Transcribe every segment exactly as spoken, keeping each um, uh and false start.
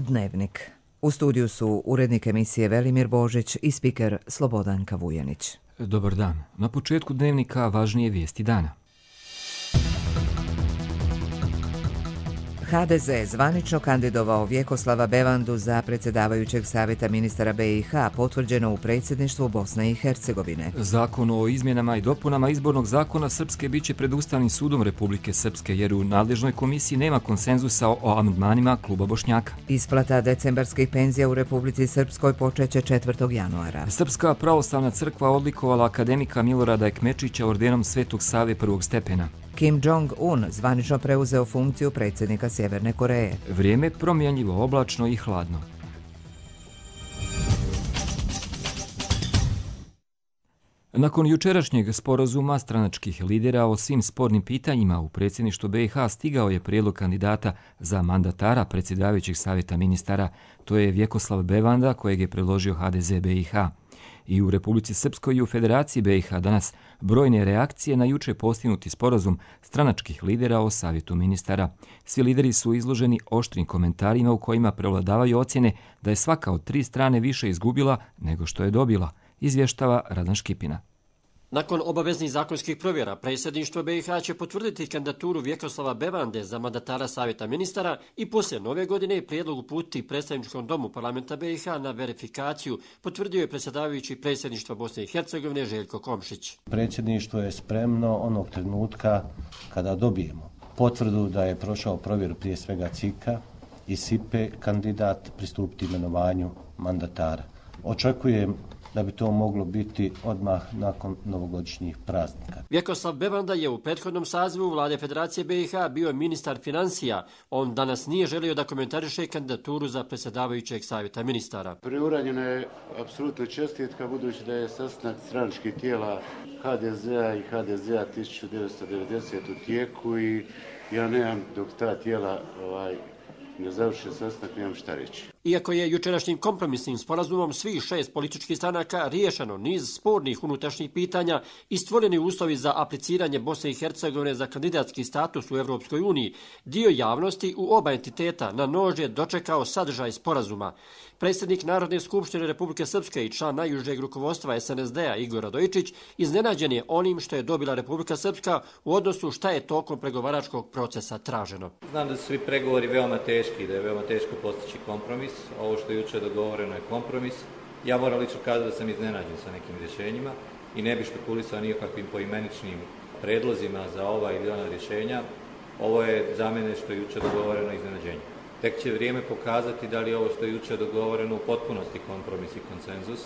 Dnevnik. U studiju su urednik emisije Velimir Božić i spiker Slobodanka Vujanić. Dobar dan. Na početku Dnevnika važnije vijesti dana. ha de ze zvanično kandidovao Vjekoslava Bevandu za predsjedavajućeg savjeta ministara be i ha, potvrđeno u predsjedništvu Bosne i Hercegovine. Zakon o izmjenama i dopunama izbornog zakona Srpske biće pred Ustavnim sudom Republike Srpske, jer u nadležnoj komisiji nema konsenzusa o amandmanima kluba Bošnjaka. Isplata decembarskih penzija u Republici Srpskoj počeće četvrtog januara. Srpska pravoslavna crkva odlikovala akademika Milorada Ekmečića ordenom Svetog Save prvog stepena. Kim Jong-un zvanično preuzeo funkciju predsjednika Sjeverne Koreje. Vrijeme promjenjivo, oblačno i hladno. Nakon jučerašnjeg sporazuma stranačkih lidera o svim spornim pitanjima u predsjedništvu be i ha stigao je prijedlog kandidata za mandatara predsjedavajućeg savjeta ministara. To je Vjekoslav Bevanda, kojeg je predložio ha de ze be i ha. I u Republici Srpskoj i u Federaciji be i ha danas brojne reakcije na juče postignuti sporazum stranačkih lidera o savjetu ministara. Svi lideri su izloženi oštrim komentarima u kojima prevladavaju ocjene da je svaka od tri strane više izgubila nego što je dobila, izvještava Radan Škipina. Nakon obaveznih zakonskih provjera, predsjedništvo be i ha će potvrditi kandidaturu Vjekoslava Bevande za mandatara savjeta ministara i poslije nove godine prijedlog uputiti predstavničkom domu parlamenta be i ha na verifikaciju, potvrdio je predsjedavajući predsjedništva Bosne i Hercegovine Željko Komšić. Predsjedništvo je spremno onog trenutka kada dobijemo potvrdu da je prošao provjeru prije svega C I K-a i S I P-e kandidat pristupiti imenovanju mandatara. Očekujem da bi to moglo biti odmah nakon novogodišnjih praznika. Vjekoslav Bevanda je u prethodnom sazivu vlade Federacije be i ha bio ministar financija. On danas nije želio da komentariše kandidaturu za predsjedavajućeg savjeta ministara. Preuranjena je apsolutno čestitka, budući da je sastanak stranačkih tijela ha de zea i ha de zea tisuću devetsto devedesete u tijeku i ja nemam dok ta tijela ovaj, ne završe sastanak, nemam šta reći. Iako je jučerašnjim kompromisnim sporazumom svih šest političkih stranaka riješeno niz spornih unutrašnjih pitanja i stvoreni uslovi za apliciranje Bosne i Hercegovine za kandidatski status u Europskoj uniji, dio javnosti u oba entiteta na nož je dočekao sadržaj sporazuma. Predsjednik Narodne skupštine Republike Srpske i član najužeg rukovodstva es en es de-a Igor Radojičić iznenađen je onim što je dobila Republika Srpska u odnosu šta je tokom pregovaračkog procesa traženo. Znam da su svi pregovori veoma teški, da je veoma teško postići kompromis. Ovo što je jučer dogovoreno je kompromis. Ja moram lično kazati da sam iznenađen sa nekim rješenjima i ne bih špekulisao nikakvim poimeničnim predlozima za ova ili ona rješenja. Ovo je za mene što je jučer dogovoreno iznenađenje. Tek će vrijeme pokazati da li je ovo što je jučer dogovoreno u potpunosti kompromis i konsenzus.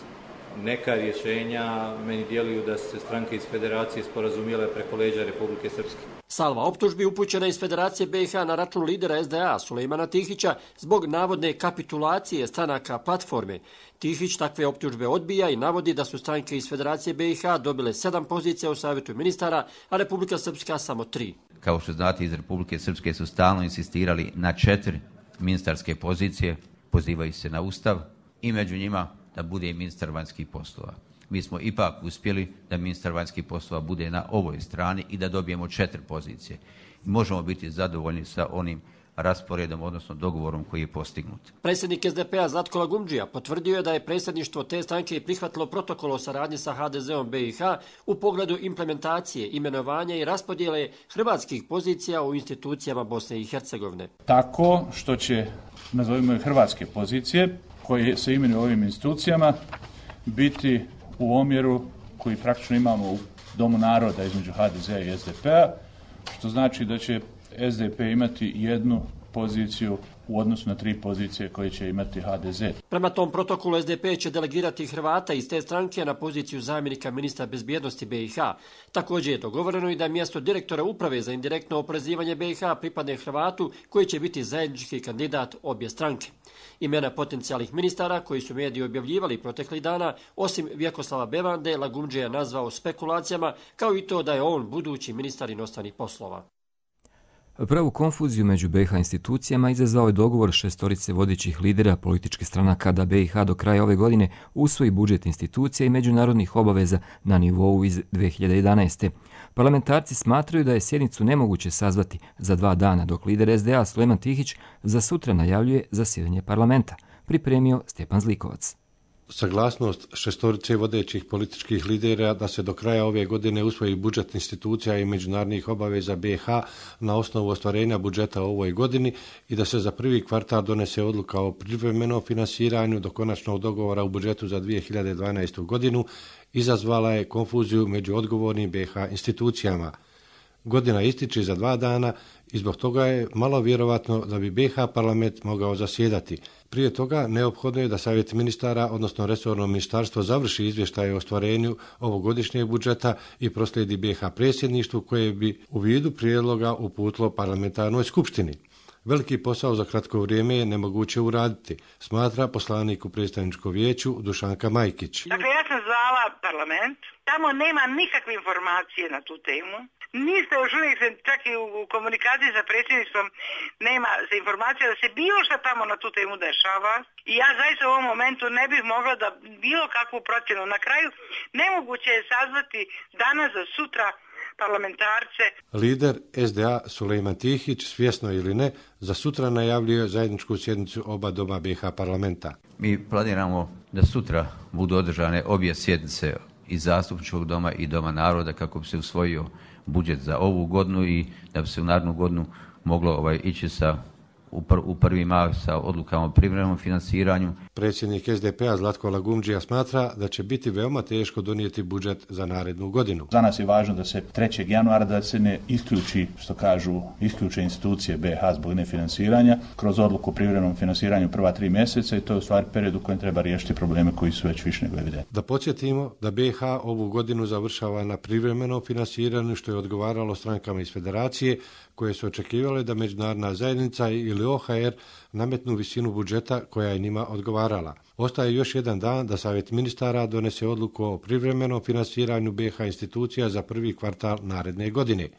Neka rješenja meni djeluju da se stranke iz Federacije sporazumijele preko leđa Republike Srpske. Salva optužbi upućena iz Federacije be i ha na račun lidera es de a Sulejmana Tihića zbog navodne kapitulacije stranaka platforme. Tihić takve optužbe odbija i navodi da su stranke iz Federacije be i ha dobile sedam pozicija u savjetu ministara, a Republika Srpska samo tri. Kao što znate, iz Republike Srpske su stalno insistirali na četiri ministarske pozicije, pozivaju se na Ustav i među njima da bude i ministar vanjskih poslova. Mi smo ipak uspjeli da ministar vanjskih poslova bude na ovoj strani i da dobijemo četiri pozicije. I možemo biti zadovoljni sa onim rasporedom, odnosno dogovorom koji je postignut. Predsjednik es de pe-a Zlatko Lagumdžija potvrdio je da je predsjedništvo te stranke prihvatilo protokol o saradnji sa ha de zeom be i ha u pogledu implementacije, imenovanja i raspodjele hrvatskih pozicija u institucijama Bosne i Hercegovine. Tako što će, nazovimo je, hrvatske pozicije koje se imenuju ovim institucijama biti u omjeru koji praktično imamo u Domu naroda između ha de zea i es de pe-a, što znači da će es de pe imati jednu poziciju u odnosu na tri pozicije koje će imati ha de ze. Prema tom protokolu es de pe će delegirati Hrvata iz te stranke na poziciju zamjenika ministra bezbjednosti be i ha. Također je dogovoreno i da mjesto direktora uprave za indirektno oporezivanje be i ha pripadne Hrvatu koji će biti zajednički kandidat obje stranke. Imena potencijalnih ministara koji su mediji objavljivali proteklih dana, osim Vjekoslava Bevande, Lagumdžija nazvao spekulacijama, kao i to da je on budući ministar inostranih poslova. Pravu konfuziju među be i ha institucijama izazvao je dogovor šestorice vodećih lidera političkih stranaka da be i ha do kraja ove godine usvoji budžet institucija i međunarodnih obaveza na nivou iz dve hiljade jedanaeste. Parlamentarci smatraju da je sjednicu nemoguće sazvati za dva dana, dok lider S D A Sulejman Tihić za sutra najavljuje zasjedanje parlamenta. Pripremio Stjepan Zlikovac. Saglasnost šestorice vodećih političkih lidera da se do kraja ove godine usvoji budžet institucija i međunarodnih obaveza B i H na osnovu ostvarenja budžeta u ovoj godini i da se za prvi kvartal donese odluka o privremenom finansiranju do konačnog dogovora u budžetu za dvije hiljade dvanaestu. godinu izazvala je konfuziju među odgovornim B i H institucijama. Godina ističe za dva dana i zbog toga je malo vjerovatno da bi B i H parlament mogao zasjedati. Prije toga neophodno je da Savjet ministara, odnosno resorno ministarstvo, završi izvještaje o ostvarenju ovogodišnjeg budžeta i proslijedi B i H predsjedništvu koje bi u vidu prijedloga uputilo parlamentarnoj skupštini. Veliki posao za kratko vrijeme je nemoguće uraditi, smatra poslanik u predstavničkom vijeću Dušanka Majkić. Dakle, ja sam zvala parlament, tamo nema nikakve informacije na tu temu. Niste još uvijek, čak i u komunikaciji sa predsjedništvom, nema se informacija da se bilo šta tamo na tu temu dešava. I ja zaista u ovom momentu ne bih mogla da bilo kakvu procjenu. Na kraju, nemoguće je sazvati danas za sutra parlamentarce. Lider S D A Sulejman Tihić, svjesno ili ne, za sutra najavljuje zajedničku sjednicu oba doma B i H parlamenta. Mi planiramo da sutra budu održane obje sjednice i zastupničkog doma i doma naroda kako bi se usvojio budžet za ovu godinu i da bi se u narednu godinu moglo ovaj, ići sa u, pr, u prvi mah sa odlukama o privremenom finansiranju. Predsjednik S D P-a Zlatko Lagumdžija smatra da će biti veoma teško donijeti budžet za narednu godinu. Za nas je važno da se trećeg januara da se ne isključi, što kažu, isključe institucije B i H zbog nefinansiranja kroz odluku o privremenom finansiranju prva tri mjeseca i to je u stvari period u kojem treba riješiti probleme koji su već više nego evidentni. Da podsjetimo da B i H ovu godinu završava na privremenom finansiranju što je odgovaralo strankama iz federacije koje su očekivale da međunarodna zajednica ili O H R nametnu visinu budžeta koja je njima odgovarala. Ostaje još jedan dan da Savjet ministara donese odluku o privremenom finansiranju B i H institucija za prvi kvartal naredne godine.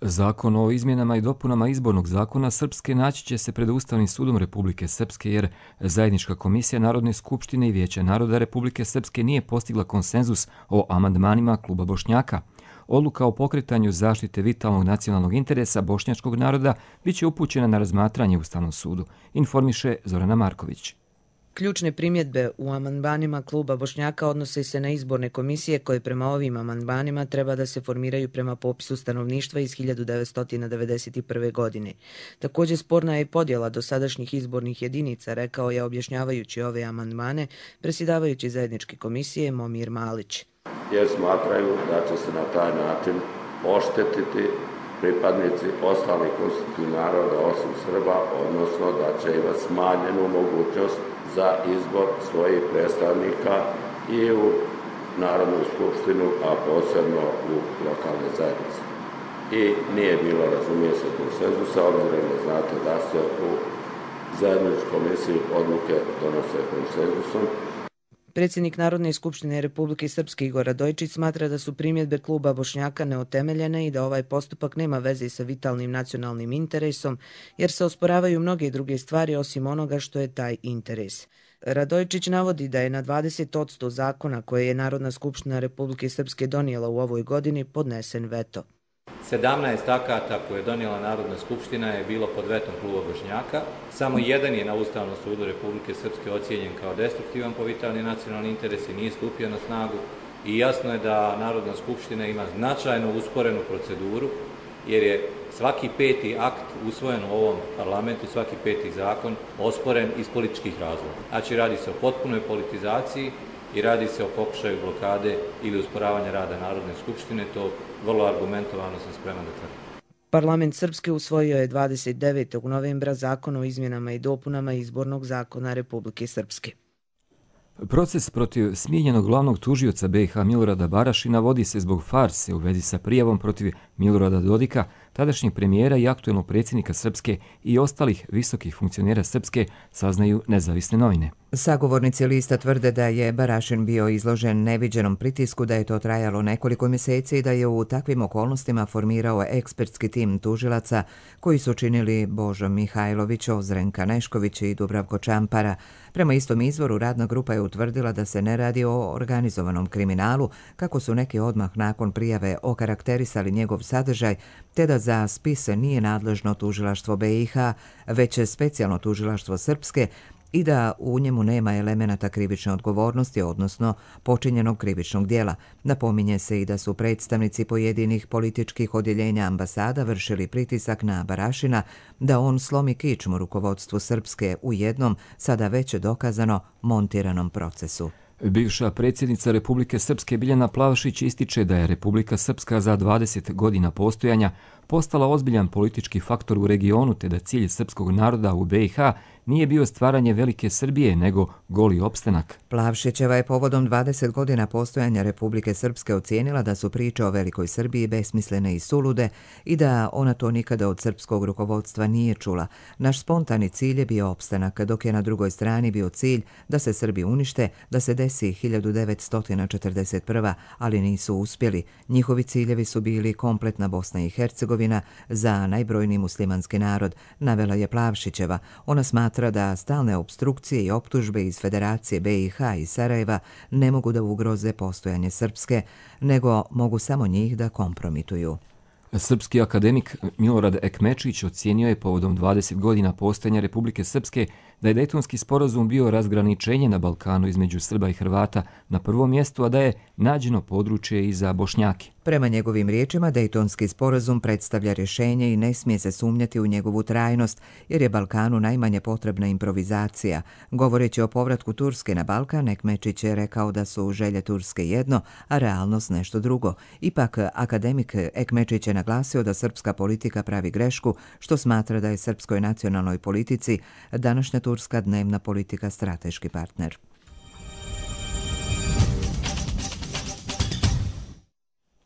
Zakon o izmjenama i dopunama izbornog zakona Srpske naći će se pred Ustavnim sudom Republike Srpske jer zajednička komisija Narodne skupštine i Vijeća naroda Republike Srpske nije postigla konsenzus o amandmanima kluba Bošnjaka. Odluka o pokretanju zaštite vitalnog nacionalnog interesa bošnjačkog naroda biće upućena na razmatranje Ustavnom sudu, informiše Zorana Marković. Ključne primjedbe u amandmanima kluba Bošnjaka odnose se na izborne komisije koje prema ovim amandmanima treba da se formiraju prema popisu stanovništva iz hiljadu devetsto devedeset prve. godine. Također sporna je podjela dosadašnjih izbornih jedinica, rekao je objašnjavajući ove amandmane predsjedavajući zajedničke komisije Momir Malić. Jer smatraju da će se na taj način oštetiti pripadnici ostalih konstitutivnih naroda osim Srba, odnosno da će imati smanjenu mogućnost za izbor svojih predstavnika i u Narodnu skupštinu, a posebno u lokalne zajednice. I nije bilo, razumije se, konsenzusa, obzirom da znate da se u zajedničkoj komisiji odluke donose konsenzusom. Predsjednik Narodne skupštine Republike Srpske Igor Radojčić smatra da su primjedbe kluba Bošnjaka neotemeljene i da ovaj postupak nema veze sa vitalnim nacionalnim interesom, jer se osporavaju mnoge druge stvari osim onoga što je taj interes. Radojčić navodi da je na dvadeset posto zakona koje je Narodna skupština Republike Srpske donijela u ovoj godini podnesen veto. sedamnaest akata koje je donijela Narodna skupština je bilo pod vetom kluba Bošnjaka. Samo jedan je na Ustavnom sudu Republike Srpske ocijenjen kao destruktivan po vitalni nacionalni interes i nije stupio na snagu. I jasno je da Narodna skupština ima značajno usporenu proceduru, jer je svaki peti akt usvojen u ovom parlamentu, svaki peti zakon osporen iz političkih razloga. Znači radi se o potpunoj politizaciji i radi se o pokušaju blokade ili usporavanja rada Narodne skupštine, to vrlo argumentovano sam spreman da tvrdim. Parlament Srpske usvojio je dvadeset devetog novembra zakon o izmjenama i dopunama izbornog zakona Republike Srpske. Proces protiv smijenjenog glavnog tužioca B i H Milorada Barašina vodi se zbog farse u vezi sa prijavom protiv Milorada Dodika, tadašnjeg premijera i aktuelnog predsjednika Srpske i ostalih visokih funkcionera Srpske, saznaju nezavisne novine. Sagovornici lista tvrde da je Barašin bio izložen neviđenom pritisku, da je to trajalo nekoliko mjeseci i da je u takvim okolnostima formirao ekspertski tim tužilaca koji su činili Božo Mihajlović, Ozrenka Nešković i Dubravko Čampara. Prema istom izvoru, radna grupa je utvrdila da se ne radi o organizovanom kriminalu, kako su neki odmah nakon prijave okarakterisali njegov sadržaj, te da za spise nije nadležno tužilaštvo B i H, već specijalno tužilaštvo Srpske, i da u njemu nema elemenata krivične odgovornosti, odnosno počinjenog krivičnog dijela. Napominje se i da su predstavnici pojedinih političkih odjeljenja ambasada vršili pritisak na Barašina da on slomi kičmu rukovodstvu Srpske u jednom, sada već dokazano, montiranom procesu. Bivša predsjednica Republike Srpske Biljana Plavšić ističe da je Republika Srpska za dvadeset godina postojanja postala ozbiljan politički faktor u regionu, te da cilj srpskog naroda u B i H nije bio stvaranje velike Srbije, nego goli opstanak. Plavšićeva je povodom dvadeset godina postojanja Republike Srpske ocijenila da su priče o velikoj Srbiji besmislene i sulude i da ona to nikada od srpskog rukovodstva nije čula. Naš spontani cilj je bio opstanak, dok je na drugoj strani bio cilj da se Srbi unište, da se desi hiljadu devetsto četrdeset prva, ali nisu uspjeli. Njihovi ciljevi su bili kompletna Bosna i Hercegovina za najbrojniji muslimanski narod, navela je Plavšićeva. Ona smatra da stalne opstrukcije i optužbe iz Federacije B i H i Sarajeva ne mogu da ugroze postojanje Srpske, nego mogu samo njih da kompromituju. Srpski akademik Milorad Ekmečić ocijenio je povodom dvadeset godina postojanja Republike Srpske da je Dejtonski sporazum bio razgraničenje na Balkanu između Srba i Hrvata na prvom mjestu, a da je nađeno područje i za Bošnjake. Prema njegovim riječima, Dejtonski sporazum predstavlja rješenje i ne smije se sumnjati u njegovu trajnost, jer je Balkanu najmanje potrebna improvizacija. Govoreći o povratku Turske na Balkan, Ekmečić je rekao da su želje Turske jedno, a realnost nešto drugo. Ipak, akademik Ekmečić je naglasio da srpska politika pravi grešku, što smatra da je srpskoj nacionalnoj politici današnja turska dnevna politika strateški partner.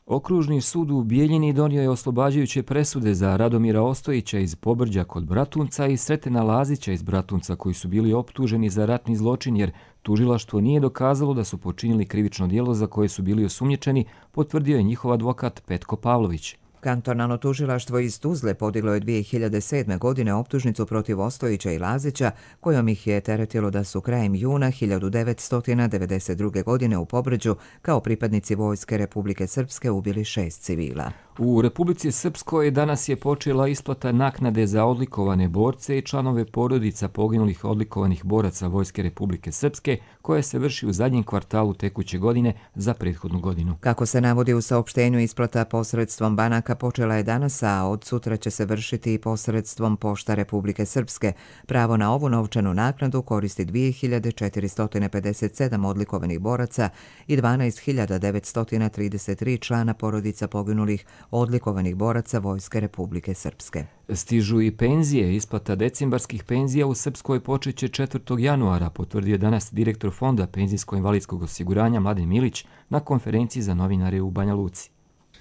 Okružni sud u Bijeljini donio je oslobađajuće presude za Radomira Ostojića iz Pobrđa kod Bratunca i Sretena Lazića iz Bratunca, koji su bili optuženi za ratni zločin jer tužilaštvo nije dokazalo da su počinili krivično djelo za koje su bili osumnjičeni, potvrdio je njihov advokat Petko Pavlović. Kantonalno tužilaštvo iz Tuzle podiglo je dvije hiljade sedme. godine optužnicu protiv Ostojića i Lazića, kojom ih je teretilo da su krajem juna hiljadu devetsto devedeset druge. godine u Pobrđu kao pripadnici Vojske Republike Srpske ubili šest civila. U Republici Srpskoj danas je počela isplata naknade za odlikovane borce i članove porodica poginulih odlikovanih boraca Vojske Republike Srpske, koja se vrši u zadnjem kvartalu tekuće godine za prethodnu godinu. Kako se navodi u saopštenju, isplata posredstvom banaka počela je danas, a od sutra će se vršiti i posredstvom Pošta Republike Srpske. Pravo na ovu novčanu naknadu koristi dvije hiljade četiristo pedeset sedam odlikovanih boraca i dvanaest hiljada devetsto trideset tri člana porodica poginulih odlikovanih boraca Vojske Republike Srpske. Stižu i penzije. Isplata decembarskih penzija u Srpskoj počeće četvrtog januara, potvrdio danas direktor Fonda penzijsko-invalidskog osiguranja Mladen Milić na konferenciji za novinare u Banja Luci.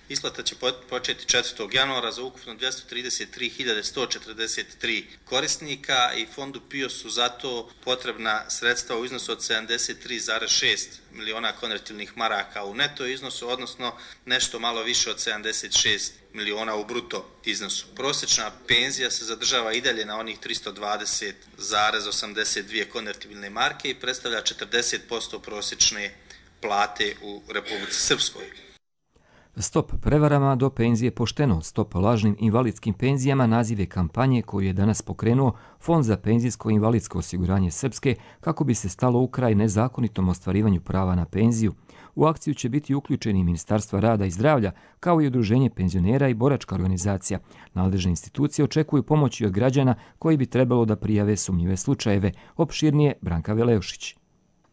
Isplata će početi četvrtog januara za ukupno dvjesto trideset tri hiljade sto četrdeset tri korisnika i Fondu P I O su zato potrebna sredstva u iznosu od sedamdeset tri zarez šest miliona konvertibilnih maraka u neto iznosu, odnosno nešto malo više od sedamdeset šest miliona u bruto iznosu. Prosječna penzija se zadržava i dalje na onih tristo dvadeset zarez osamdeset dvije konvertibilne marke i predstavlja četrdeset posto prosječne plate u Republici Srpskoj. Stop prevarama, do penzije pošteno, stop lažnim invalidskim penzijama naziv je kampanje koju je danas pokrenuo Fond za penzijsko-invalidsko osiguranje Srpske kako bi se stalo u kraj nezakonitom ostvarivanju prava na penziju. U akciju će biti uključeni Ministarstva rada i zdravlja, kao i Udruženje penzionera i boračka organizacija. Nadležne institucije očekuju pomoći od građana koji bi trebalo da prijave sumnjive slučajeve. Opširnije Branka Veleušić.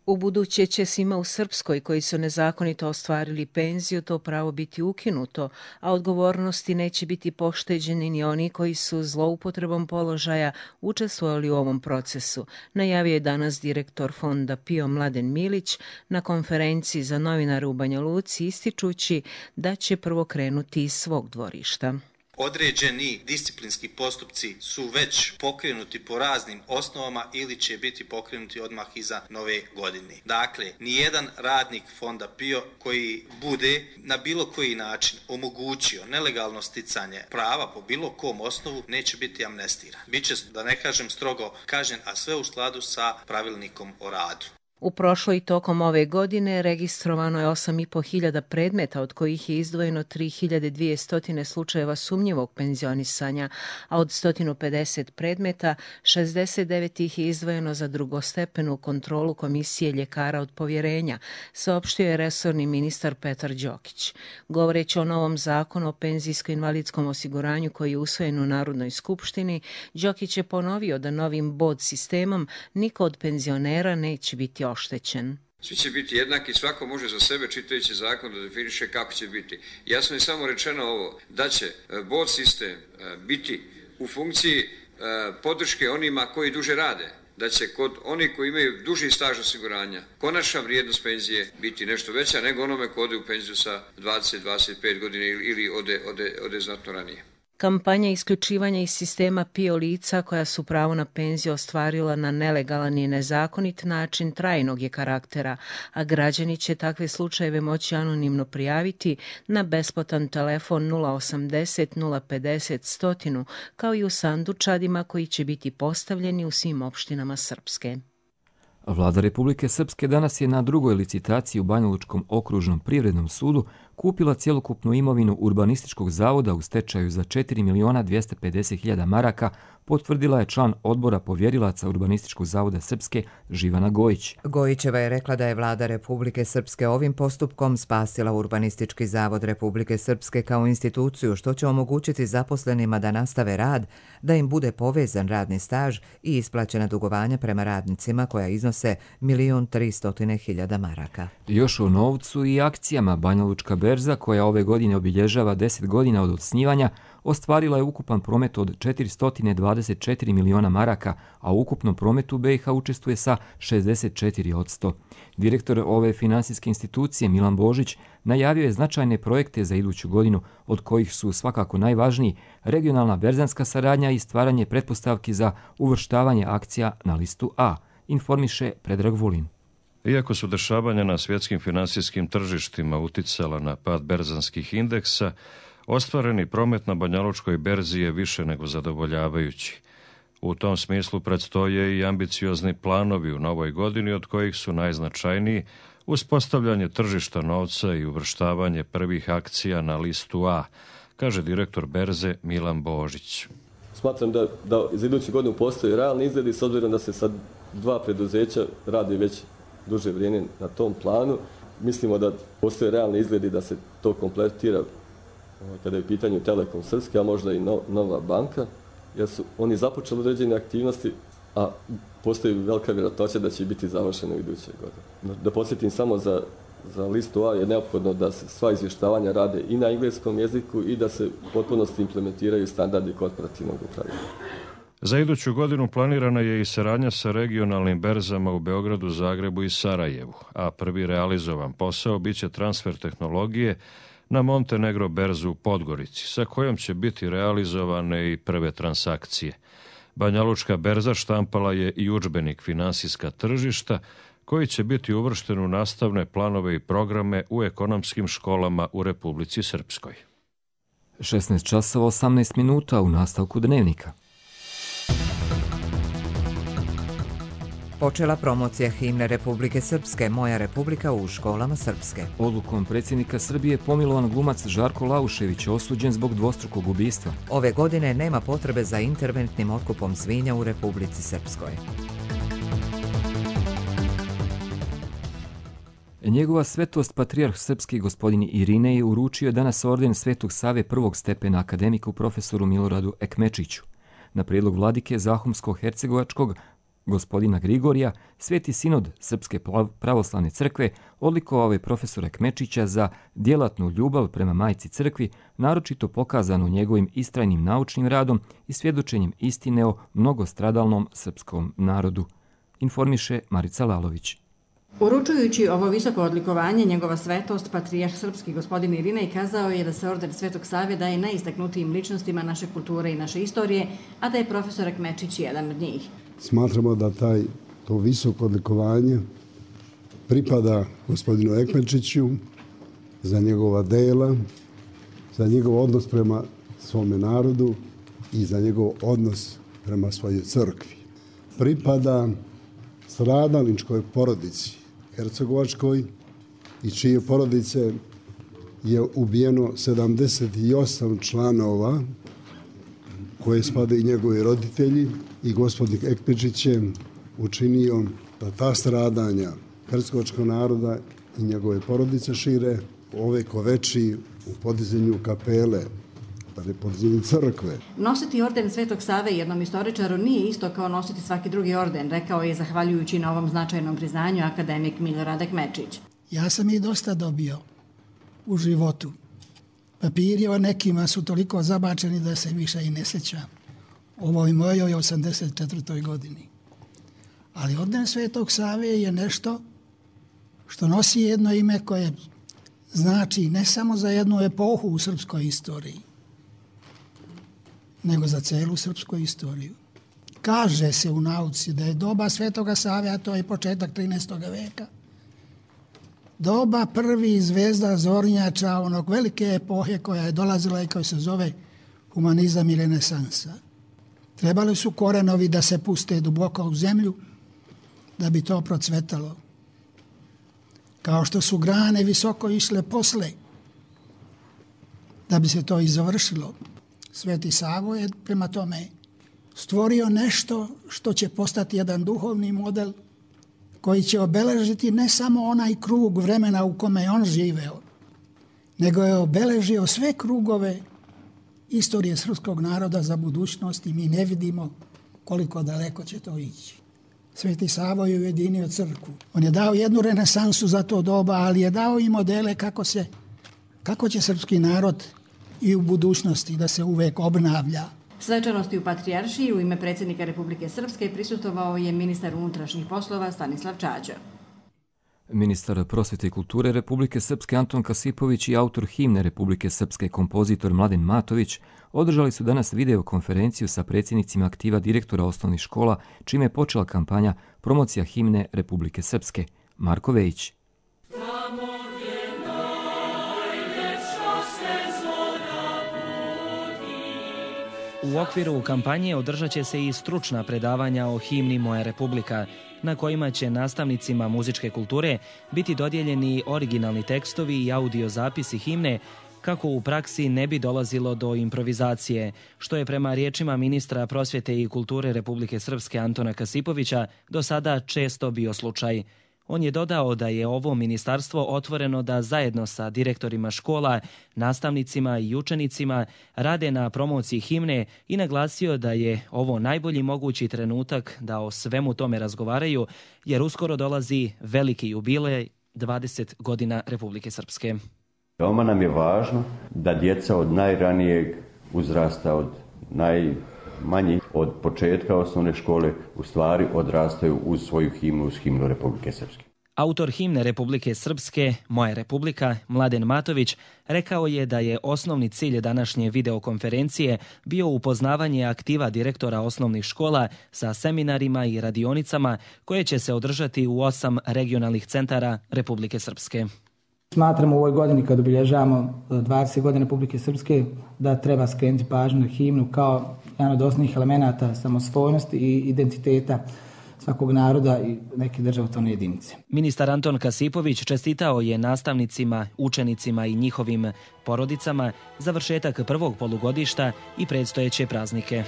U buduće će svima u Srpskoj koji su nezakonito ostvarili penziju to pravo biti ukinuto, a odgovornosti neće biti pošteđeni ni oni koji su zloupotrebom položaja učestvovali u ovom procesu, najavio je danas direktor Fonda P I O Mladen Milić na konferenciji za novinare u Banja Luci, ističući da će prvo krenuti iz svog dvorišta. određeni disciplinski postupci su već pokrenuti po raznim osnovama ili će biti pokrenuti odmah iza nove godine. Dakle, nijedan radnik Fonda PIO koji bude na bilo koji način omogućio nelegalno sticanje prava po bilo kom osnovu neće biti amnestiran. Biće, da ne kažem strogo kažnjen, a sve u skladu sa pravilnikom o radu. U prošloj i tokom ove godine registrovano je osam i po hiljada predmeta, od kojih je izdvojeno tri hiljade dvjesto slučajeva sumnjivog penzionisanja, a od sto pedeset predmeta šezdeset devet ih je izdvojeno za drugostepenu kontrolu Komisije ljekara od povjerenja, saopštio je resorni ministar Petar Đokić. Govoreći o novom zakonu o penzijsko-invalidskom osiguranju koji je usvojen u Narodnoj skupštini, Đokić je ponovio da novim bod sistemom niko od penzionera neće biti oštećen. Svi će biti jednaki, svako može za sebe čitajući zakon da definiše kako će biti. Jasno je samo rečeno ovo, da će bod sistem biti u funkciji podrške onima koji duže rade, da će kod onih koji imaju duži staž osiguranja konačna vrijednost penzije biti nešto veća nego onome ko ode u penziju sa dvadeset do dvadeset pet godina ili ode, ode, ode znatno ranije. Kampanja isključivanja iz sistema PIO lica koja su pravo na penziju ostvarila na nelegalan i nezakonit način trajnog je karaktera, a građani će takve slučajeve moći anonimno prijaviti na besplatan telefon nula osamdeset nula pedeset sto kao i u sandučadima koji će biti postavljeni u svim opštinama Srpske. Vlada Republike Srpske danas je na drugoj licitaciji u Banjalučkom okružnom privrednom sudu kupila cjelokupnu imovinu Urbanističkog zavoda u stečaju za četiri miliona dvjesto pedeset hiljada maraka, potvrdila je član odbora povjerilaca Urbanističkog zavoda Srpske Živana Gojić. Gojićeva je rekla da je Vlada Republike Srpske ovim postupkom spasila Urbanistički zavod Republike Srpske kao instituciju, što će omogućiti zaposlenima da nastave rad, da im bude povezan radni staž i isplaćena dugovanja prema radnicima koja iznose milion tristo hiljada maraka. Još o novcu i akcijama. Banjalučka berza, koja ove godine obilježava deset godina od osnivanja, ostvarila je ukupan promet od četiristo dvadeset četiri miliona maraka, a u ukupnom prometu B i H učestvuje sa šezdeset četiri posto. Direktor ove finansijske institucije Milan Božić najavio je značajne projekte za iduću godinu, od kojih su svakako najvažniji regionalna berzanska saradnja i stvaranje pretpostavki za uvrštavanje akcija na listu A, informiše Predrag Vulin. Iako su dešavanja na svjetskim finansijskim tržištima uticala na pad berzanskih indeksa, ostvareni promet na Banjalučkoj berzi je više nego zadovoljavajući. U tom smislu predstoje i ambiciozni planovi u novoj godini, od kojih su najznačajniji uspostavljanje tržišta novca i uvrštavanje prvih akcija na listu A, kaže direktor berze Milan Božić. Smatram da, da za iduću godinu postoji realni izgledi, s obzirom da se sad dva preduzeća radi već duže vrijeme na tom planu. Mislimo da postoje realni izgledi da se to kompletira kada je u pitanju Telekom Srpske, a možda i no, Nova banka, jer su oni započeli određene aktivnosti, a postoji velika vjerojatnoća da će biti završeno u iduće godine. Da podsjetim samo za, za listu A je neophodno da se sva izvještavanja rade i na engleskom jeziku i da se u potpunosti implementiraju standardi korporativnog upravljanja. Za iduću godinu planirana je i saradnja sa regionalnim berzama u Beogradu, Zagrebu i Sarajevu, a prvi realizovan posao biće transfer tehnologije na Montenegro berzu u Podgorici, sa kojom će biti realizovane i prve transakcije. Banjalučka berza štampala je i udžbenik Finansijska tržišta, koji će biti uvršten u nastavne planove i programe u ekonomskim školama u Republici Srpskoj. šesnaest časova osamnaest minuta u nastavku dnevnika. Počela promocija himne Republike Srpske Moja Republika u školama Srpske. Odlukom predsjednika Srbije pomilovan glumac Žarko Laušević je osuđen zbog dvostrukog ubistva. Ove godine nema potrebe za interventnim otkupom svinja u Republici Srpskoj. Njegova svetost patrijarh srpski gospodin Irinej uručio je danas orden Svetog Save prvog stepena akademiku profesoru Miloradu Ekmečiću. Na prijedlog vladike Zahumsko-hercegovačkog gospodina Grigorija, Sveti sinod Srpske pravoslavne crkve odlikovao je profesora Kmečića za djelatnu ljubav prema majci crkvi, naročito pokazanu njegovim istrajnim naučnim radom i svjedočenjem istine o mnogostradalnom srpskom narodu, informiše Marica Lalović. Uručujući ovo visoko odlikovanje, njegova svetost, patrijarh srpski gospodin Irinej, kazao je da se orden Svetog Save daje najistaknutijim ličnostima naše kulture i naše istorije, a da je profesor Ekmečić jedan od njih. Smatramo da taj, to visoko odlikovanje pripada gospodinu Ekmečiću za njegova dela, za njegov odnos prema svome narodu i za njegov odnos prema svojoj crkvi. Pripada stradalničkoj porodici hercegovačkoj i čije porodice je ubijeno sedamdeset osam članova koje spadaju i njegovi roditelji, i gospodin Ekmečić je učinio da ta stradanja hercegovačkog naroda i njegove porodice šire ove koveči u podizanju kapele, podizanju crkve. Nositi orden Svetog Save jednom istoričaru nije isto kao nositi svaki drugi orden, rekao je zahvaljujući na ovom značajnom priznanju akademik Milorad Ekmečić. Ja sam i dosta dobio u životu. Papiri o nekima su toliko zabačeni da se više i ne sjećam. Ovoj mojoj osamdeset četvrtoj godini. Ali orden Svetog Save je nešto što nosi jedno ime koje znači ne samo za jednu epohu u srpskoj istoriji, nego za celu srpsku istoriju. Kaže se u nauci da je doba Svetoga Save, a to je početak trinaestog veka, doba prvi zvezda zornjača onog velike epohe koja je dolazila i koja se zove humanizam i renesansa. Trebali su korenovi da se puste duboko u zemlju da bi to procvetalo. Kao što su grane visoko išle posle da bi se to i završilo. Sveti Savo je prema tome stvorio nešto što će postati jedan duhovni model koji će obeležiti ne samo onaj krug vremena u kome je on živeo, nego je obeležio sve krugove istorije srpskog naroda za budućnost i mi ne vidimo koliko daleko će to ići. Sveti Savo je ujedinio crkvu. On je dao jednu renesansu za to doba, ali je dao i modele kako se, kako će srpski narod i u budućnosti da se uvek obnavlja. Svečanosti u Patrijaršiji u ime predsjednika Republike Srpske prisutovao je ministar unutrašnjih poslova Stanislav Čađa. Ministar prosvjete i kulture Republike Srpske Anton Kasipović i autor himne Republike Srpske kompozitor Mladen Matović održali su danas videokonferenciju sa predsjednicima aktiva direktora osnovnih škola, čime je počela kampanja promocija himne Republike Srpske. Marko Vejić. U okviru kampanje održat će se i stručna predavanja o himni Moja Republika, na kojima će nastavnicima muzičke kulture biti dodijeljeni originalni tekstovi i audio zapisi himne, kako u praksi ne bi dolazilo do improvizacije, što je prema riječima ministra prosvjete i kulture Republike Srpske Antona Kasipovića do sada često bio slučaj. On je dodao da je ovo ministarstvo otvoreno da zajedno sa direktorima škola, nastavnicima i učenicima rade na promociji himne i naglasio da je ovo najbolji mogući trenutak da o svemu tome razgovaraju, jer uskoro dolazi veliki jubilej dvadeset godina Republike Srpske. Veoma nam je važno da djeca od najranijeg uzrasta, od najmanjih, od početka osnovne škole, u stvari odrastaju uz svoju himnu, uz himnu Republike Srpske. Autor himne Republike Srpske, Moja Republika, Mladen Matović, rekao je da je osnovni cilj današnje videokonferencije bio upoznavanje aktiva direktora osnovnih škola sa seminarima i radionicama koje će se održati u osam regionalnih centara Republike Srpske. Smatramo u ovoj godini, kad obilježavamo dvadeset godina Republike Srpske, da treba skrenuti pažnju na himnu kao jedan od osnovnih elemenata samosvojnosti i identiteta svakog naroda i neke državotvorne jedinice. Ministar Anton Kasipović čestitao je nastavnicima, učenicima i njihovim porodicama završetak prvog polugodišta i predstojeće praznike.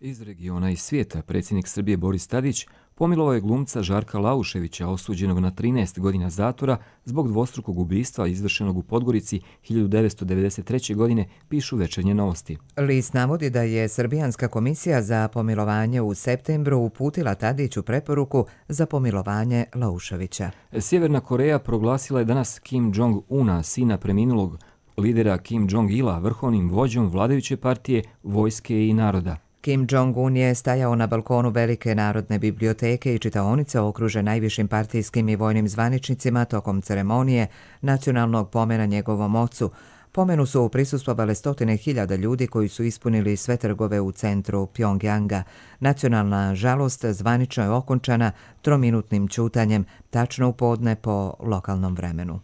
Iz regiona i svijeta predsjednik Srbije Boris Tadić pomilovao je glumca Žarka Lauševića, osuđenog na trinaest godina zatvora zbog dvostrukog ubistva izvršenog u Podgorici hiljadu devetsto devedeset treće. godine, pišu Večernje novosti. List navodi da je Srbijanska komisija za pomilovanje u septembru uputila Tadiću preporuku za pomilovanje Lauševića. Sjeverna Koreja proglasila je danas Kim Jong-una, sina preminulog lidera Kim Jong-ila vrhovnim vođom vladajuće partije, vojske i naroda. Kim Jong-un je stajao na balkonu Velike narodne biblioteke i čitaonice okružen najvišim partijskim i vojnim zvaničnicima tokom ceremonije nacionalnog pomena njegovom ocu. Pomenu su prisustvovale stotine hiljada ljudi koji su ispunili sve trgove u centru Pjongjanga. Nacionalna žalost zvanično je okončana trominutnim ćutanjem, tačno u podne po lokalnom vremenu.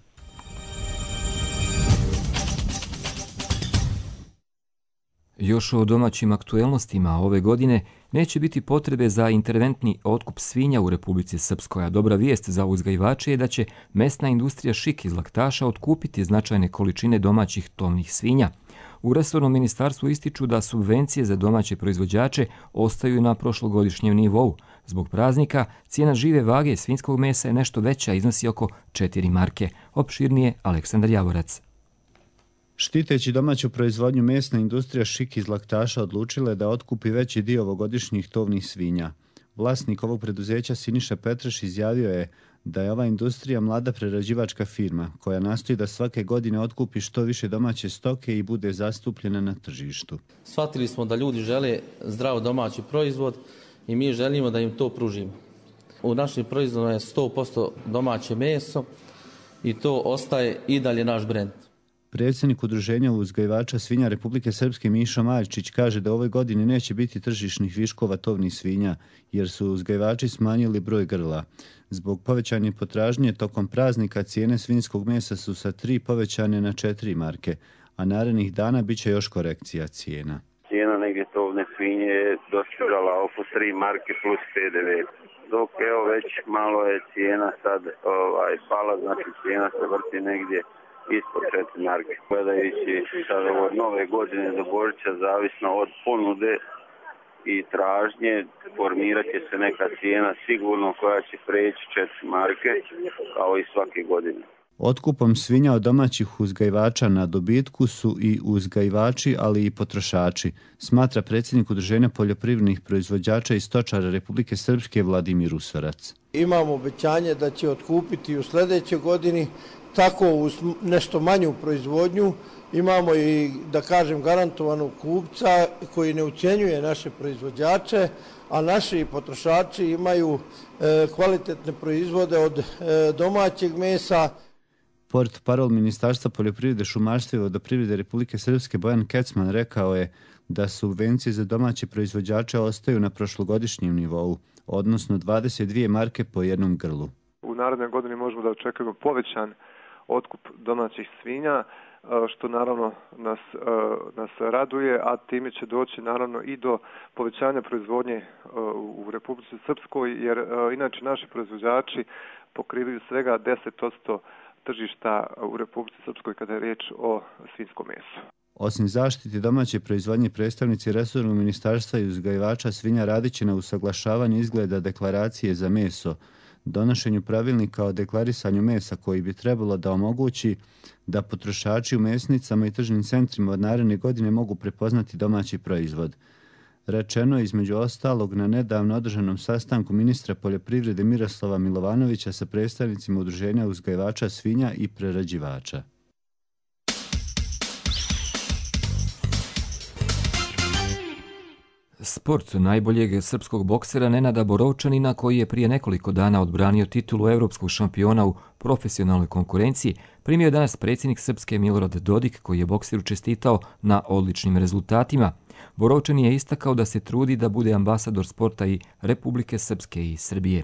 Još o domaćim aktuelnostima ove godine neće biti potrebe za interventni otkup svinja u Republici Srpskoj, a dobra vijest za uzgajivače je da će mesna industrija Šik iz Laktaša otkupiti značajne količine domaćih tovnih svinja. U resornom ministarstvu ističu da subvencije za domaće proizvođače ostaju na prošlogodišnjem nivou. Zbog praznika cijena žive vage svinjskog mesa je nešto veća, iznosi oko četiri marke. Opširnije Aleksandar Javorac. Štiteći domaću proizvodnju, mesna industrija Šik iz Laktaša odlučila je da otkupi veći dio ovogodišnjih tovnih svinja. Vlasnik ovog preduzeća Siniša Petreš izjavio je da je ova industrija mlada prerađivačka firma koja nastoji da svake godine otkupi što više domaće stoke i bude zastupljena na tržištu. Shvatili smo da ljudi žele zdrav domaći proizvod i mi želimo da im to pružimo. U našim proizvodima je sto posto domaće meso i to ostaje i dalje naš brend. Predsjednik Udruženja uzgajivača svinja Republike Srpske Mišo Maljčić kaže da u ovoj godini neće biti tržišnih viškova tovnih svinja jer su uzgajivači smanjili broj grla. Zbog povećanje potražnje tokom praznika cijene svinjskog mesa su sa tri povećane na četiri marke, a narednih dana bit će još korekcija cijena. Cijena negdje tovne svinje je dostigala oko tri marke plus P D V. Dok evo već malo je cijena sad ovaj, pala, znači cijena se vrti negdje ispod četiri marke. Gledajući sad od nove godine do Božića, zavisno od ponude i tražnje, formirat će se neka cijena sigurno koja će preći četiri marke, kao i svake godine. Otkupom svinja od domaćih uzgajivača na dobitku su i uzgajivači, ali i potrošači, smatra predsjednik Udruženja poljoprivrednih proizvođača i stočara Republike Srpske Vladimir Usorac. Imamo obećanje da će otkupiti u sljedećoj godini, tako uz nešto manju proizvodnju. Imamo i, da kažem, garantovanog kupca koji ne ucjenjuje naše proizvođače, a naši potrošači imaju e, kvalitetne proizvode od e, domaćeg mesa. Portparol Ministarstva poljoprivrede, šumarstva i vodoprivrede Republike Srpske Bojan Kecman rekao je da subvencije za domaće proizvođače ostaju na prošlogodišnjem nivou, odnosno dvadeset dvije marke po jednom grlu. U narednoj godini možemo da očekujemo povećan otkup domaćih svinja, što naravno nas, nas raduje, a time će doći naravno i do povećanja proizvodnje u Republici Srpskoj, jer inače naši proizvođači pokrivaju svega deset posto tržišta u Republici Srpskoj kada je riječ o svinjskom mesu. Osim zaštiti domaće proizvodnje, predstavnici resornog ministarstva i uzgajivača svinja radit će na usaglašavanju izgleda deklaracije za meso, donošenju pravilnika o deklarisanju mesa koji bi trebalo da omogući da potrošači u mesnicama i tržnim centrima od naredne godine mogu prepoznati domaći proizvod. Rečeno je između ostalog na nedavno održanom sastanku ministra poljoprivrede Miroslava Milovanovića sa predstavnicima Udruženja uzgajivača svinja i prerađivača. Sport najboljeg srpskog boksera Nenada Borovčanina, koji je prije nekoliko dana odbranio titulu evropskog šampiona u profesionalnoj konkurenciji, primio je danas predsjednik Srpske Milorad Dodik, koji je bokseru čestitao na odličnim rezultatima. Borovčanin je istakao da se trudi da bude ambasador sporta i Republike Srpske i Srbije.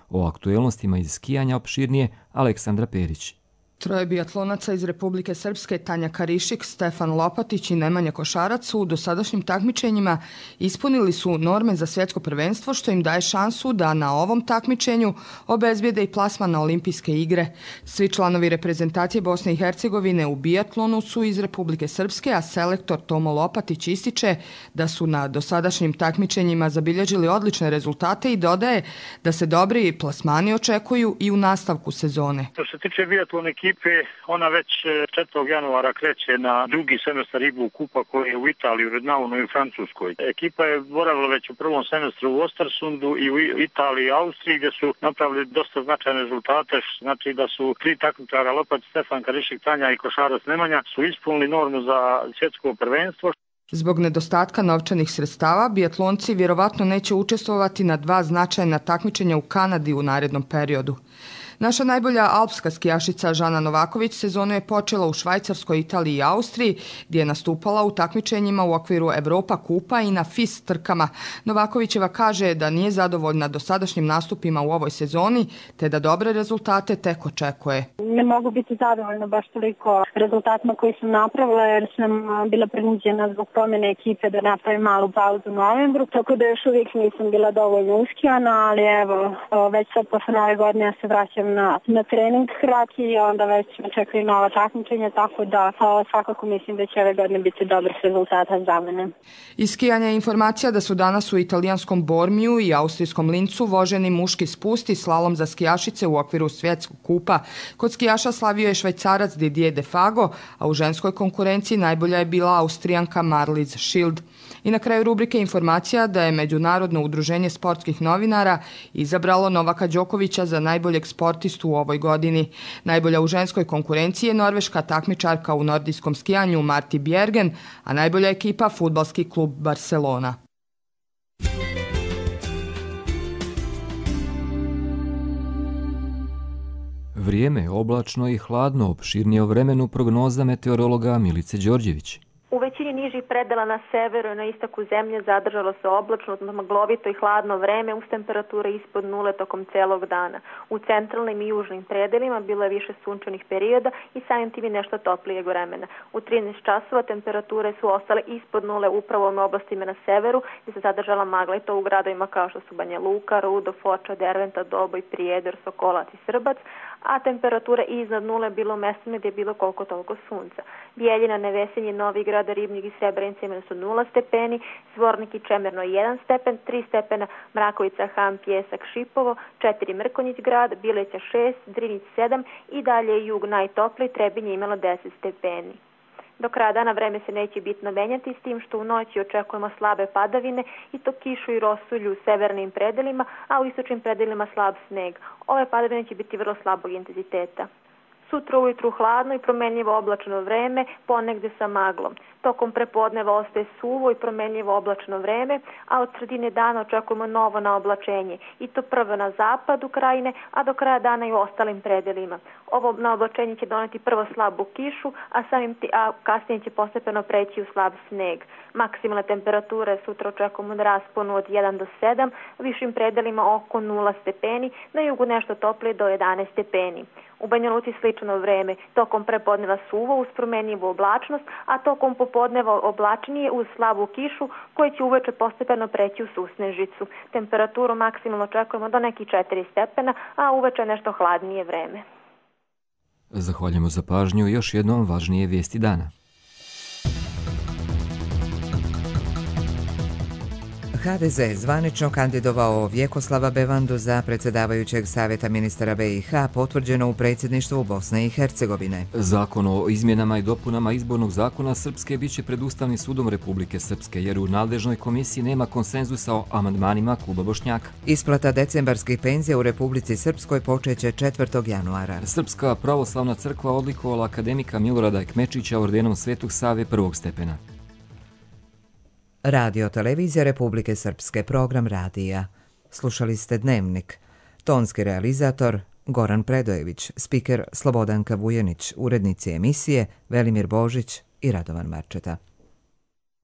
O aktuelnostima iz skijanja opširnije Aleksandra Perić. Troje biatlonaca iz Republike Srpske, Tanja Karišik, Stefan Lopatić i Nemanja Košarac su u dosadašnjim takmičenjima ispunili su norme za svjetsko prvenstvo, što im daje šansu da na ovom takmičenju obezbijede i plasman na olimpijske igre. Svi članovi reprezentacije Bosne i Hercegovine u biatlonu su iz Republike Srpske, a selektor Tomo Lopatić ističe da su na dosadašnjim takmičenjima zabilježili odlične rezultate i dodaje da se dobri plasmani očekuju i u nastavku sezone. Što se tiče biatlon ekipe, ekipe, ona već četvrtog januara kreće na drugi semestar Ibu Kupa koji je u Italiji, u Rednaunu i u Francuskoj. Ekipa je boravila već u prvom semestru u Ostersundu i u Italiji i Austriji gdje su napravili dosta značajne rezultate, znači da su tri takmičara Lopac, Stefan Karišik, Tanja i košarac Nemanja su ispunili normu za svjetsko prvenstvo. Zbog nedostatka novčanih sredstava, biatlonci vjerovatno neće učestvovati na dva značajna takmičenja u Kanadi u narednom periodu. Naša najbolja alpska skijašica Žana Novaković sezonu je počela u Švajcarskoj, Italiji i Austriji, gdje je nastupala u takmičenjima u okviru Europa kupa i na F I S trkama. Novakovićeva kaže da nije zadovoljna dosadašnjim nastupima u ovoj sezoni, te da dobre rezultate tek očekuje. Ne mogu biti zadovoljna baš toliko rezultatima koji sam napravila, jer sam bila prinuđena zbog promjene ekipe da napravim malu pauzu u novembru, tako da još uvijek nisam bila dovoljno uskijana, ali evo, već sad posle nove godine ja se vraćam Na, na trening hrati i onda već me čekaju nova takmičenja, tako da o, svakako mislim da će ove godine biti dobrih rezultata za mene. Iz skijanja je informacija da su danas u italijanskom Bormiju i austrijskom Lincu voženi muški spust i slalom za skijašice u okviru svjetskog kupa. Kod skijaša slavio je Švajcarac Didier Defago, a u ženskoj konkurenciji najbolja je bila Austrijanka Marlies Schild. I na kraju rubrike informacija da je Međunarodno udruženje sportskih novinara izabralo Novaka Đokovića za najboljeg sportistu u ovoj godini. Najbolja u ženskoj konkurenciji je norveška takmičarka u nordijskom skijanju Marti Bjergen, a najbolja ekipa fudbalski klub Barcelona. Vrijeme je oblačno i hladno, opširnije o vremenu prognoza meteorologa Milice Đorđević. U većini nižih predela na severu i na istoku zemlje zadržalo se oblačno, maglovito i hladno vreme uz temperature ispod nule tokom celog dana. U centralnim i južnim predelima bilo je više sunčanih perioda i samim tim i nešto toplijeg vremena. U trinaest časova temperature su ostale ispod nule upravo u oblastima na severu gdje se zadržala magla i to u gradovima kao što su Banja Luka, Rudo, Foča, Derventa, Doboj, Prijedor, Sokolac i Srbac, a temperatura iznad nule bilo u mestima gdje je bilo koliko toliko sunca. Bijeljina, Nevesinje, Novi Grad, Ribnik i Srebrenica imali su nula stepeni, Zvornik i Čemerno jedan stepen, tri stepena Mrakovica, Ham, Pjesak, Šipovo, četiri Mrkonjić grad, Bileća šest, Drinić sedam i dalje jug najtopliji, Trebinje imalo deset stepeni. Do kraja dana vreme se neće bitno menjati, s tim što u noći očekujemo slabe padavine i to kišu i rosulju u severnim predelima, a u istočnim predelima slab sneg. Ove padavine će biti vrlo slabog intenziteta. Sutra ujutru hladno i promenljivo oblačno vreme, ponegde sa maglom. Tokom prepodneva ostaje suvo i promenljivo oblačno vreme, a od sredine dana očekujemo novo naoblačenje. I to prvo na zapadu krajine, a do kraja dana i u ostalim predelima. Ovo naoblačenje će doneti prvo slabu kišu, a, samim ti, a kasnije će postepeno preći u slab sneg. Maksimalne temperature sutra očekujemo na rasponu od jedan do sedam, u višim predelima oko nula stepeni, na jugu nešto toplije do jedanaest stepeni. U Banja Luci slično vreme, tokom prepodneva suvo uz promenljivu oblačnost, a tokom popodneva oblačnije uz slabu kišu koja će uveče postepeno preći u susnežicu. Temperaturu maksimalno očekujemo do nekih četiri stepena, a uveče nešto hladnije vreme. Zahvaljujemo za pažnju i još jednom važnije vijesti dana. ha de ze zvanično kandidovao Vjekoslava Bevandu za predsjedavajućeg savjeta ministara be i ha, potvrđeno u predsjedništvu Bosne i Hercegovine. Zakon o izmjenama i dopunama izbornog zakona Srpske biće pred Ustavnim sudom Republike Srpske, jer u nadležnoj komisiji nema konsenzusa o amandmanima kluba Bošnjaka. Isplata decembarskih penzija u Republici Srpskoj počeće četvrtog januara. Srpska pravoslavna crkva odlikovala akademika Milorada Ekmečića ordenom Svetog Save prvog stepena. Radio Televizija Republike Srpske, program radija. Slušali ste Dnevnik. Tonski realizator Goran Predojević, spiker Slobodanka Vujanić, urednici emisije Velimir Božić i Radovan Marčeta.